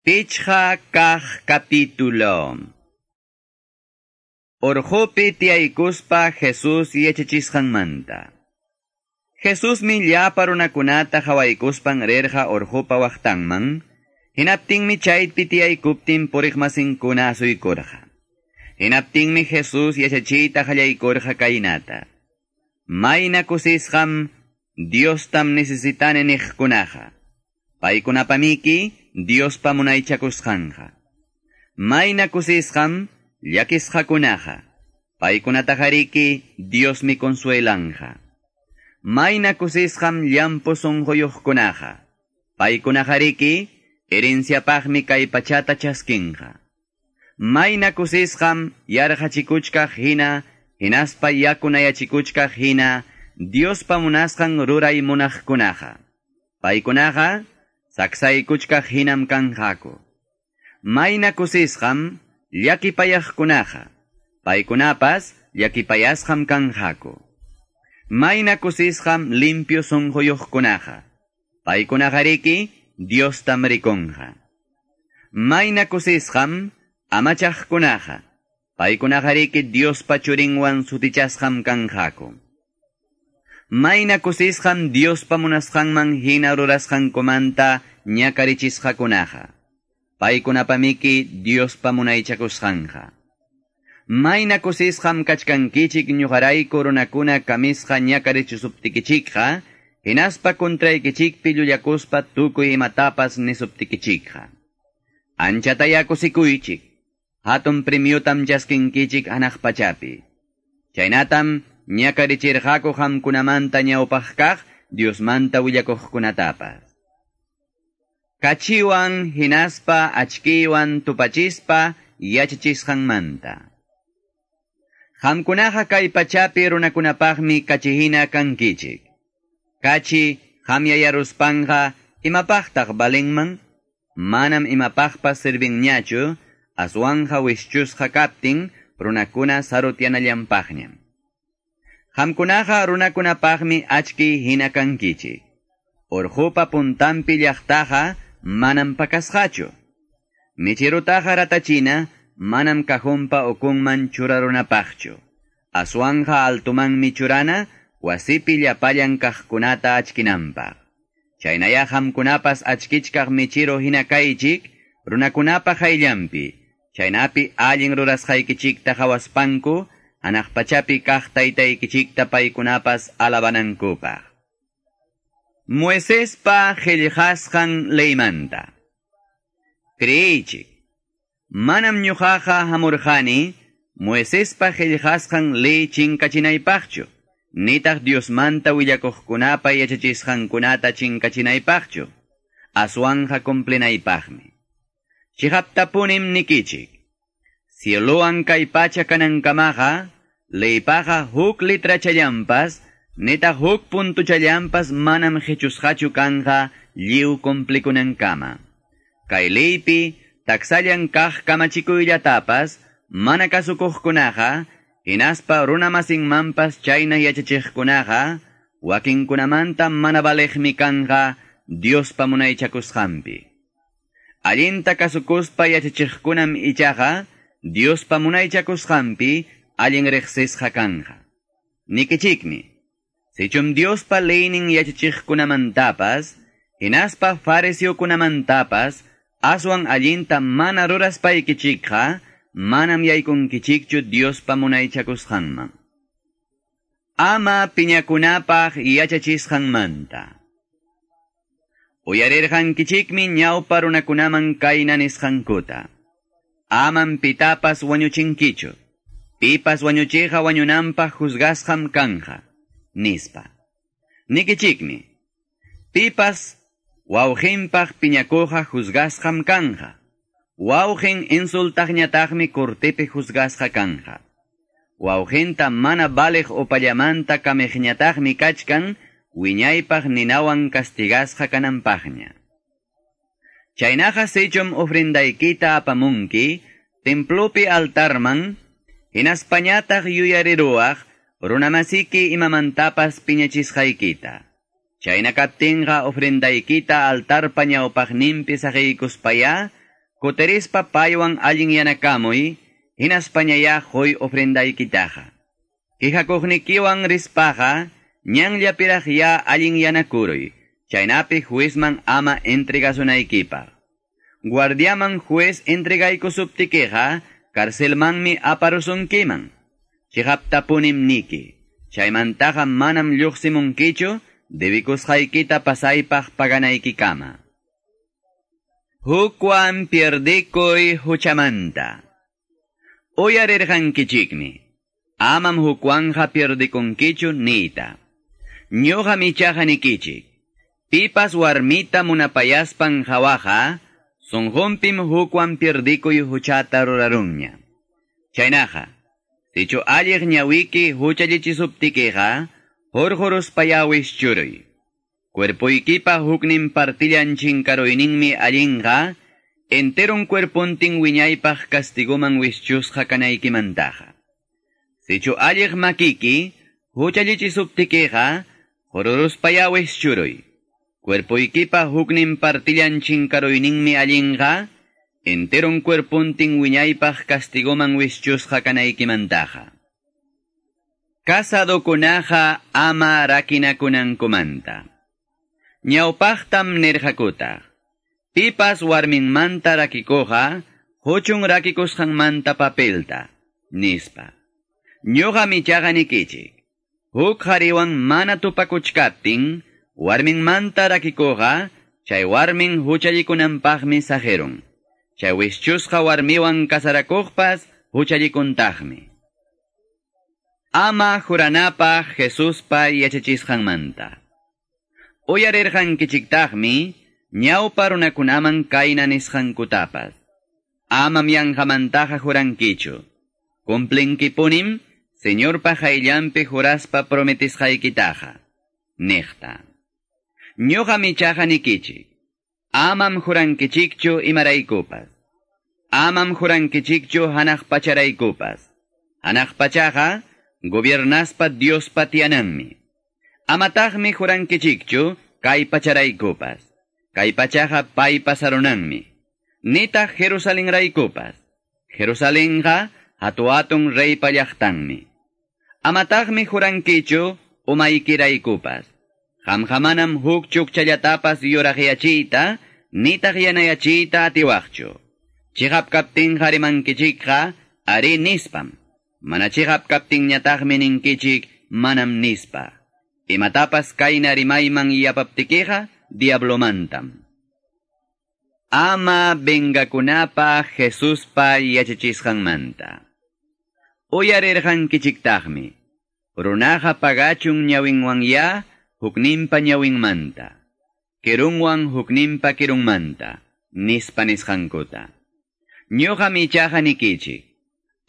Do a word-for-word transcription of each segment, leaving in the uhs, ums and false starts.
Pichqa kaq capítulo. Urqupi tiyaykuspa Jesus yachachisqanmanta. Jesusmi llapa runakunata qhawaykuspan rirqa urqupa waqtanman, hinaptinmi chaypi tiyaykuptin puriqmasinkuna asuykurqa. Hinaptinmi Jesus yachachiyta qallaykurqa kaynata. Mayna kusisqam Diostam necesitani niqkunaqa. Paykunapamiki Diospa munaychakusqanqa. Mayna kusisqam llakisqakunaqa. Paykunataqariki Diosmi consuelanqa. Mayna kusisqam llampu sunquyuqkunaqa. Paykunaqariki herenciapaqmi kay pachata chaskinqa. Mayna kusisqam yarqachikuchkaq hina, hinaspa yakunayachikuchkaq hina, Diospa munasqan ruray munaqkunaqa. Paykunaqa saksaykuchkaq hinam kanqaku. Mayna kusisqam llakipayaqkunaqa. Paykunapas llakipayasqam kanqaku. Mayna kusisqam limpio sunquyuqkunaqa. Paykunaqariki Diostam rikunqa. Mayna kusisqam amachaqkunaqa. Paykunaqariki Diospa churinwan sutichasqam kanqaku. Mayna kusisqam Diospa munasqanman hina rurasqankumanta ñakarichisqakunaqa. Paykunapamiki Diospa munaychakusqanqa. Mayna kusisqam kachkankichik ñuqarayku runakuna kamisqa ñakarichisuptikichikqa, hinaspa contraykichikpi llullakuspa tukuy imatapas nisuptikichikqa. Anchataya kusikuychik, hatun premiotam chaskinkichik hanaq pachapi. Chaynatam ñakarichirqaku qamkunamanta ñawpaq kaq Diosmanta willakuqkunatapas. Kachiwan hinaspa achkiwan tupachispa yachachisqanmanta. Qamkunaqa kay pachapi runakunapaqmi kachihina kankichik. Kachi qamyayaruspanqa imapaqtaq valinman? Manam imapaqpas servinñachu, aswanqa wischusqa kaptin runakuna sarutyanallanpaqñam. Qamkunaqa runakunapaqmi achki hina kankichik. Urqupa puntanpi llaqtaqa manam pakasqachu. Michirutaqa ratachina manam cajonpa ukunman churarunapaqchu. Aswanja altumanmi churana wasipi llapallan kaqkunata achkinanpaq. Chaynaya qamkunapas achkichkaq michiro hina kaychik runakunapa qayllanpi. Chaynapi allin rurasqaykichikta qhawaspanku hanaq pachapi kaq taytaykichikta paykunapas alabanankupaq. Moisespa qillqasqan leymanta. Creeychik, manam ñuqaqa hamurqani Moisespa qillqasqan ley chinkachinaypaqchu, nitaq Diosmanta willakuqkunapa yachachisqankunata chinkachinaypaqchu, aswanja cumplinaypaqmi. Chiqaptapunim nikichik, cielowan kay pacha kanankamaqa, leypaqa huk letrachallanpas, nitaq huk puntuchallanpas manam qichusqachu kanqa lliw cumplikunankama. Kay leypi taksallan kaq kamachikuyllatapas mana kasukuqkunaqa, hinaspa runamasinmanpas chayna yachachiqkunaqa, wakinkunamanta mana valeqmi kanqa Diospa munaychakusqanpi. Allinta kasukuspa yachachiqkunam ichaqa Diospa munaychakusqanpi allin riqsisqa kanqa. Nikichikmi, sichum Diospa leynin yachachiqkunamantapas, hinaspa fariseokunamantapas, aswan allinta mana ruraspaykichikqa, manam yaykunkichikchu Diospa munaychakusqanman. Ama piñakunapaq yachachisqanmanta. Uyarirqankichikmi ñawpa runakunaman kayna nisqankuta. Amam pitapas wañuchinkichu. Pipas wañuchiqa wañunanpaq juzgasqam kanja, nispa. Nikichikmi, pipas wawqinpaq piñakuqa juzgasqam kanja. Wawqin insultaqñataqmi cortepi juzgasqa kanja. Wawqinta mana valeq upallamanta kamiqñataqmi kachkan wiñaypaq ninawan castigasqa kananpaqña. Chaynaqa sichum ofrendaykita apamunki templopi altarman, hinaspañataq yuyariruwaq runamasiki imamantapas piñachisqaykita. Chayna kaptinqa ofrendaykita altarpa ñawpaqninpi saqiykuspaya, Kutirispa paywan allinyanakamuy, hinaspañayá huy ofrendaykitaqa. Quejakuqnikiwan rispaqa, ñanllapiraq ya allinyanakuruy, chaynapi juezman ama entregasunaykipaq. Guardiaman juez entregaykusuptikiqa, carcelmanmi aparusunkiman. Chiqaptapunim niki, chaymantaqa manam lluqsimunkichu, debikusqaykita pasaypaq paganaykikama. Hukwan pierdikuy huchamanta. Uyarirqankichikmi, amam hukwanja pierdikunkichu niyta. Ñuqam ichaqa nikichik, pipas warmita munapayaspan hawaqa, sunqunpim hukwan pierdikuy huchata rurarunña. Chaynaqa, sichu alliq ñawiki huchallichisuptikiqa, hurquruspayá wischuruy. Cuerpoykipa huknin partillan chinkaruyninmi allinqa, enteron cuerpontin wiñaypaq castiguman wischusqa kanaykimantaqa. Sichu alliq makiki, huchallichisuptikiqa, hururuspayá wischuruy. Cuerpoykipa huknin partillan chinkaruyninmi allinqa, enteron cuerpontin wiñaypaq castiguman wischusqa kanaykimantaqa. Casadokunaqa ama rakinakunankumanta. Ñawpaqtam nirqakutaq, pipas warminmanta rakikuqa, huchun rakikusqanmanta papelta, nispa. Ñuqam ichaqa nikichik, huk qhariwan mana tupakuchkaptin, warminmanta rakikuqa, chay warmin huchallikunanpaqmi saqirun. Chay wischusqa warmiwan kasarakuqpas huchallikuntaqmi. Ama juranapaq Jesuspa yachachisqanmanta. Uyarirqankichiktaqmi, ñawpa runakunaman kayna nisqankutapas. Amam yanqamantaqa jurankichu. Cumplinkipunim, Señorpa qayllanpi juraspa prometisqaykitaqa. Niqta. Ñuqam ichaqa nikichik, amam jurankichikchu imaraykupas. Amam jurankichikchu hanaq pacharaykupas. Hanaq pachaqa, gobiernaspa Diospa tiyananmi. Amataqmi jurankichikchu kay pacharaykupas. Kay pachaqa paypa sarunanmi. Nitaq Jerusalenraykupas. Jerusalenqa hatu-hatun reypa llaqtanmi. Amataqmi jurankichu umaykiraykupas. Qamqa manam huk chukchallatapas yuraqyachiyta, nitaq yanayachiyta atiwaqchu. Chiqap kaptinqa rimankichikqa ari nispam. Mana chiqap kaptinñataqmi ninkichik manam nispa. Imatapas kayna rimayman yapaptikiqa diablomantam. Ama vengakunapaq Jesuspa yachachisqanmanta. Uyarirqankichiktaqmi, runaqa pagachun ñawinwanya hukninpa ñawinmanta, kirunwan hukninpa kirunmanta, nispa nisqankuta. Ñuqam ichaqa nikichik,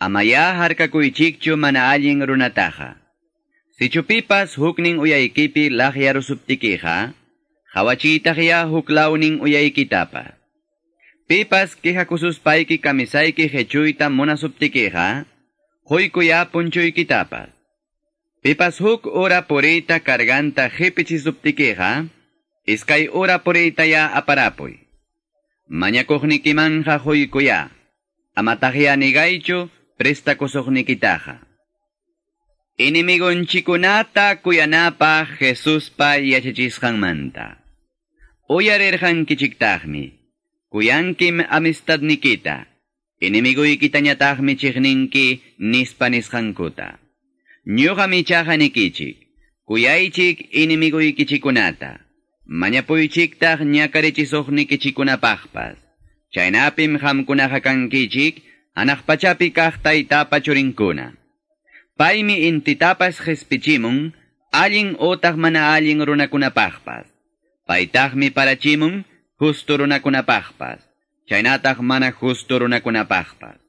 amaya harkakuychikchu mana allin runataqa. Sichu pipas huknin uyaykipi laqyarusuptikiqa, hawachiytaqya huklawnin uyaykitapas. Pipas quejakususpayki kamisayki hechuyta munasuptikiqa, huykuya punchuykitapas. Pipas huk ura puriyta carganta qipichisuptikiqa, iskay ura puriytaya aparapuy. Mañakuqnikimanja huykuya, amataqya nigaychu prestakusuqnikitaqa. Enemigonchikunata kuyanapaq Jesuspa yachachisqanmanta. Uyarirqankichiktaqmi, kuyankim amistadnikita, enemiguykitañataqmi chiqninki nispa nisqankuta. Ñuqam ichaqa nikichik, kuyaychik enemiguykichikunata, mañapuychiktaq ñakarichisuqnikichikunapaqpas. Chaynapim qamkunaqa kankichik, hanaq pachapi kaq taytapa churinkuna. Paymi intitapas qhispichimun, allin utaq mana allin runakunapaqpas. Paytaqmi parachimun, justo runakunapaqpas, chaynataq mana justo runakunapaqpas.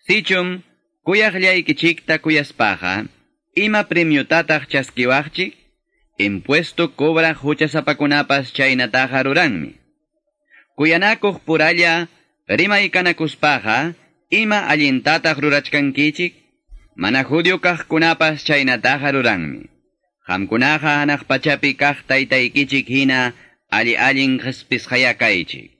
Sichum, kuyaqllaykichikta kuyaspaqa, ima premiotataq chaskiwaqchik, impuesto cobraq huchasapakunapas chaynataqa ruranmi. Kuyanakuq puralla rimaykanakuspaqa, ima allintataq rurachkankichik, mana judío kaqkunapas chaynataqa ruranmi. Qamkunaqa hanaq pachapi kaq taytaykichik hina alli allin qhispisqaya kaychik.